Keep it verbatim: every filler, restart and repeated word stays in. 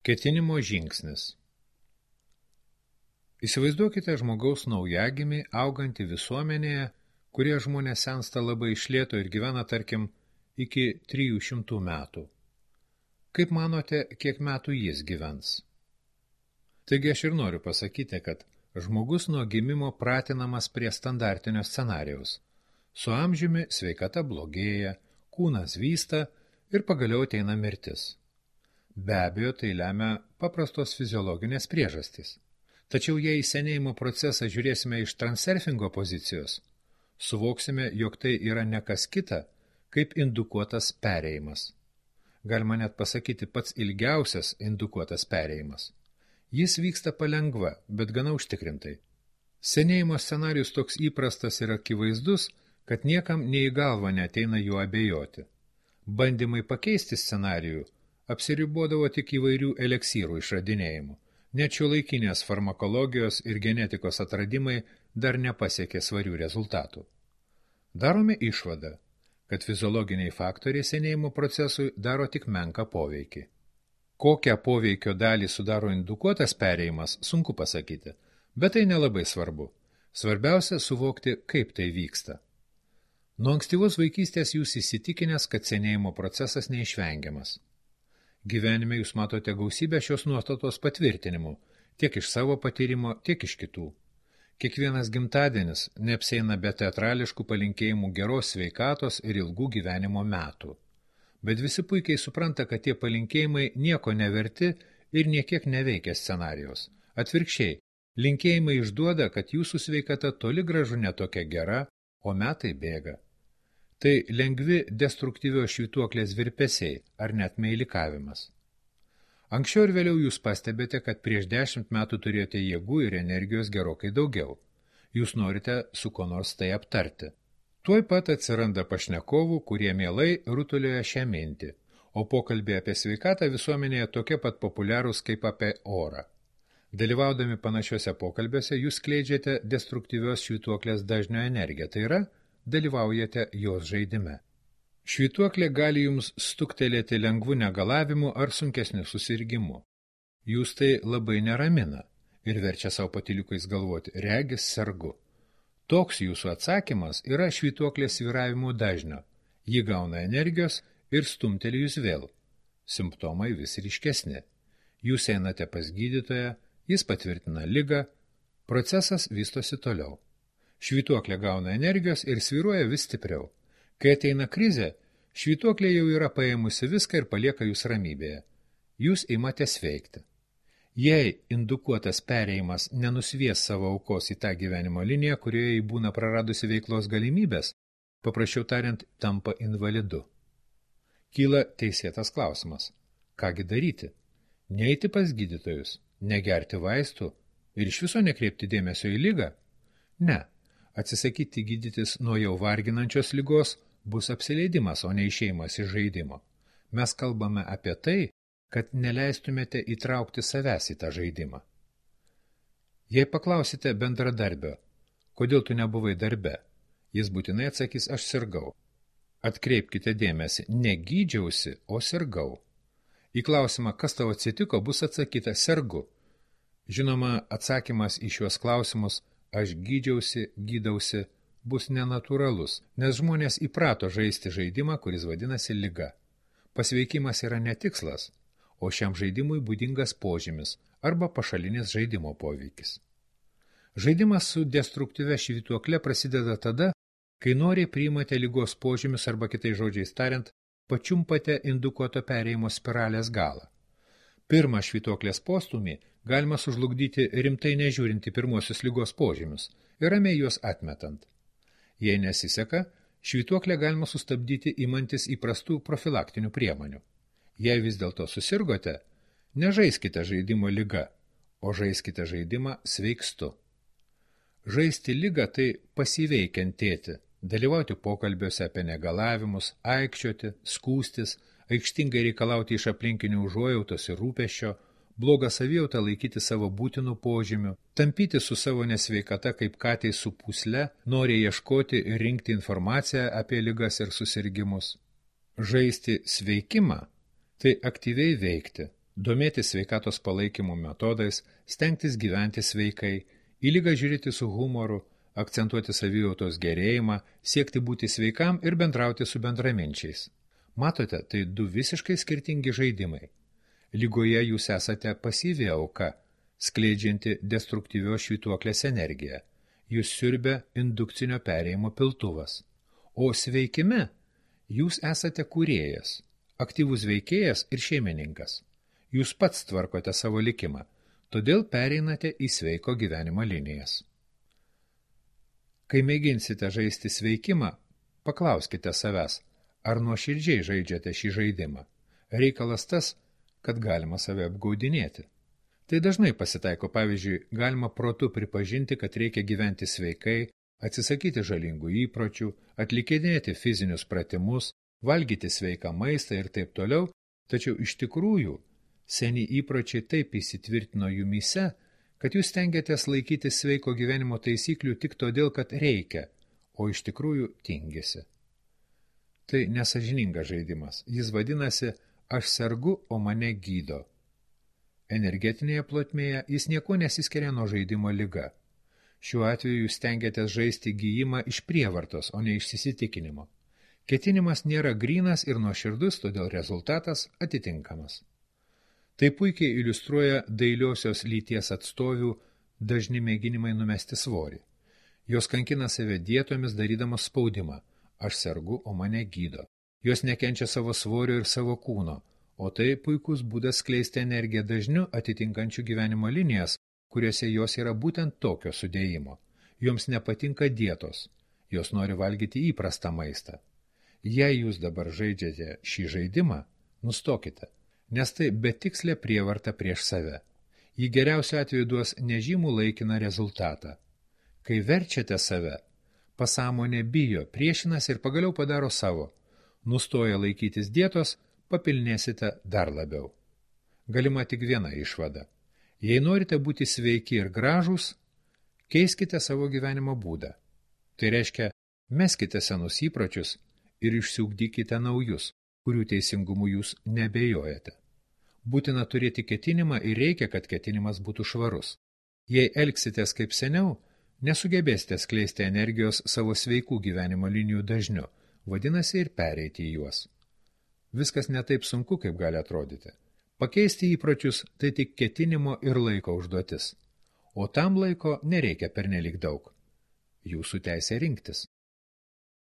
Ketinimo žingsnis. Įsivaizduokite žmogaus naujagimį augantį visuomenėje, kurie žmonės sensta labai iš lėto ir gyvena, tarkim, iki trijų šimtų metų. Kaip manote, kiek metų jis gyvens? Taigi aš ir noriu pasakyti, kad žmogus nuo gimimo pratinamas prie standartinio scenarijaus. Su amžiumi sveikata blogėja, kūnas vysta ir pagaliau ateina mirtis. Be abejo, tai lemia paprastos fiziologinės priežastys. Tačiau jei į senėjimo procesą žiūrėsime iš transurfingo pozicijos, suvoksime, jog tai yra ne kas kita, kaip indukuotas perėjimas. Galima net pasakyti pats ilgiausias indukuotas perėjimas. Jis vyksta palengva, bet gana užtikrintai. Senėjimo scenarijus toks įprastas ir akivaizdus, kad niekam nei į galvą neateina juo abejoti. Bandymai pakeisti scenarijų apsiribodavo tik įvairių eliksyrų išradinėjimų. Net šiuolaikinės farmakologijos ir genetikos atradimai dar nepasiekė svarių rezultatų. Darome išvadą, kad fiziologiniai faktoriai senėjimo procesui daro tik menką poveikį. Kokią poveikio dalį sudaro indukuotas perėjimas, sunku pasakyti, bet tai nelabai svarbu. Svarbiausia suvokti, kaip tai vyksta. Nuo ankstyvos vaikystės jūs įsitikinęs, kad senėjimo procesas neišvengiamas. Gyvenime jūs matote gausybę šios nuostatos patvirtinimų, tiek iš savo patyrimo, tiek iš kitų. Kiekvienas gimtadienis neapsieina be teatrališkų palinkėjimų geros sveikatos ir ilgų gyvenimo metų. Bet visi puikiai supranta, kad tie palinkėjimai nieko neverti ir niekiek neveikia scenarijos. Atvirkščiai, linkėjimai išduoda, kad jūsų sveikata toli gražu netokia gera, o metai bėga. Tai lengvi destruktyvios švytuoklės virpesiai ar net meilikavimas. Anksčiau ir vėliau jūs pastebite, kad prieš dešimt metų turėjote jėgų ir energijos gerokai daugiau. Jūs norite su ko nors tai aptarti. Tuoj pat atsiranda pašnekovų, kurie mielai rutulioja šią mintį, o pokalbė apie sveikatą visuomenėje tokie pat populiarūs kaip apie orą. Dalyvaudami panašiuose pokalbiuose jūs skleidžiate destruktyvios švytuoklės dažnio energiją, tai yra, dalyvaujate jos žaidime. Švytuoklė gali jums stuktelėti lengvų negalavimų ar sunkesnių susirgimų. Jūs tai labai neramina ir verčia savo patyliukais galvoti, regis sergu. Toks jūsų atsakymas yra švytuoklės svyravimų dažnio. Ji gauna energijos ir stumteli jūs vėl. Simptomai vis ryškesni. Jūs einate pas gydytoją, jis patvirtina ligą, procesas vystosi toliau. Švytuoklė gauna energijos ir svyruoja vis stipriau. Kai ateina krizė, švytuoklė jau yra paėmusi viską ir palieka jūs ramybėje. Jūs imate sveikti. Jei indukuotas perėjimas nenusvies savo aukos į tą gyvenimo liniją, kurioje jį būna praradusi veiklos galimybės, paprasčiau tariant, tampa invalidu. Kyla teisėtas klausimas. Kągi daryti? Neiti pas gydytojus, negerti vaistų ir iš viso nekreipti dėmesio į ligą? Ne. Atsisakyti gydytis nuo jau varginančios ligos bus apsileidimas, o ne išėjimas iš žaidimo. Mes kalbame apie tai, kad neleistumėte įtraukti savęs į tą žaidimą. Jei paklausite bendradarbio, kodėl tu nebuvai darbe, jis būtinai atsakys, aš sirgau. Atkreipkite dėmesį, ne gydžiausi, o sirgau. Į klausimą, kas tau atsitiko, bus atsakyta sergu. Žinoma, atsakymas į šiuos klausimus aš gydžiausi, gydausi, bus nenatūralus, nes žmonės įprato žaisti žaidimą, kuris vadinasi liga. Pasveikimas yra netikslas, o šiam žaidimui būdingas požymis arba pašalinis žaidimo poveikis. Žaidimas su destruktyvia švytuokle prasideda tada, kai noriai priimate ligos požymius arba kitais žodžiais tariant, pačiumpate indukuoto perėjimo spiralės galą. Pirmą švytuoklės postumį galima sužlugdyti rimtai nežiūrinti pirmosius ligos požymius ir ramiai juos atmetant. Jei nesiseka, švytuoklę galima sustabdyti imantis įprastų profilaktinių priemonių. Jei vis dėlto susirgote, nežaiskite žaidimo liga, o žaiskite žaidimą sveikstu. Žaisti ligą tai pasyviai kentėti, dalyvauti pokalbiuose apie negalavimus, aikčioti, skūstis, aikštingai reikalauti iš aplinkinių užuojautos ir rūpesčio, blogą savijautą laikyti savo būtinų požymių, tampyti su savo nesveikata kaip katei su pūsle, nori ieškoti ir rinkti informaciją apie ligas ir susirgimus. Žaisti sveikimą – tai aktyviai veikti, domėtis sveikatos palaikymo metodais, stengtis gyventi sveikai, į ligą žiūrėti su humoru, akcentuoti savijautos gerėjimą, siekti būti sveikam ir bendrauti su bendraminčiais. Matote, tai du visiškai skirtingi žaidimai. Lygoje jūs esate pasyvi auka, skleidžianti destruktyvios švytuoklės energiją. Jūs siurbia indukcinio perėjimo piltuvas. O sveikime jūs esate kūrėjas, aktyvus veikėjas ir šeimininkas. Jūs pats tvarkote savo likimą, todėl pereinate į sveiko gyvenimo linijas. Kai mėginsite žaisti sveikimą, paklauskite savęs, ar nuoširdžiai žaidžiate šį žaidimą. Reikalas tas, kad galima save apgaudinėti. Tai dažnai pasitaiko, pavyzdžiui, galima protu pripažinti, kad reikia gyventi sveikai, atsisakyti žalingų įpročių, atlikinėti fizinius pratimus, valgyti sveiką maistą ir taip toliau, tačiau iš tikrųjų seni įpročiai taip įsitvirtino jumyse, kad jūs stengiatės laikytis sveiko gyvenimo taisyklių tik todėl, kad reikia, o iš tikrųjų tingisi. Tai nesažiningas žaidimas. Jis vadinasi aš sergu, o mane gydo. Energetinėje plotmėje jis nieko nesiskiria nuo žaidimo liga. Šiuo atveju jūs stengiatės žaisti gijimą iš prievartos, o ne iš įsitikinimo. Ketinimas nėra grynas ir nuoširdus, todėl rezultatas atitinkamas. Tai puikiai iliustruoja dailiosios lyties atstovių dažni mėginimai numesti svorį. Jos kankina save dietomis darydamos spaudimą. Aš sergu, o mane gydo. Jos nekenčia savo svorio ir savo kūno, o tai puikus būdas skleisti energiją dažniu atitinkančių gyvenimo linijas, kuriuose jos yra būtent tokio sudėjimo. Joms nepatinka dietos, jos nori valgyti įprastą maistą. Jei jūs dabar žaidžiate šį žaidimą, nustokite, nes tai betikslė prievarta prieš save. Ji geriausiu atveju duos nežymų laikiną rezultatą. Kai verčiate save, pasąmonė bijo, priešinasi ir pagaliau padaro savo. Nustoję laikytis dietos, papilnėsite dar labiau. Galima tik viena išvada. Jei norite būti sveiki ir gražūs, keiskite savo gyvenimo būdą. Tai reiškia, meskite senus įpročius ir išsiugdykite naujus, kurių teisingumu jūs nebejojate. Būtina turėti ketinimą ir reikia, kad ketinimas būtų švarus. Jei elgsitės kaip seniau, nesugebėsite skleisti energijos savo sveikų gyvenimo linijų dažniu, vadinasi ir pereiti į juos. Viskas ne taip sunku, kaip gali atrodyti. Pakeisti įpročius tai tik ketinimo ir laiko užduotis, o tam laiko nereikia pernelik daug. Jūsų teisė rinktis.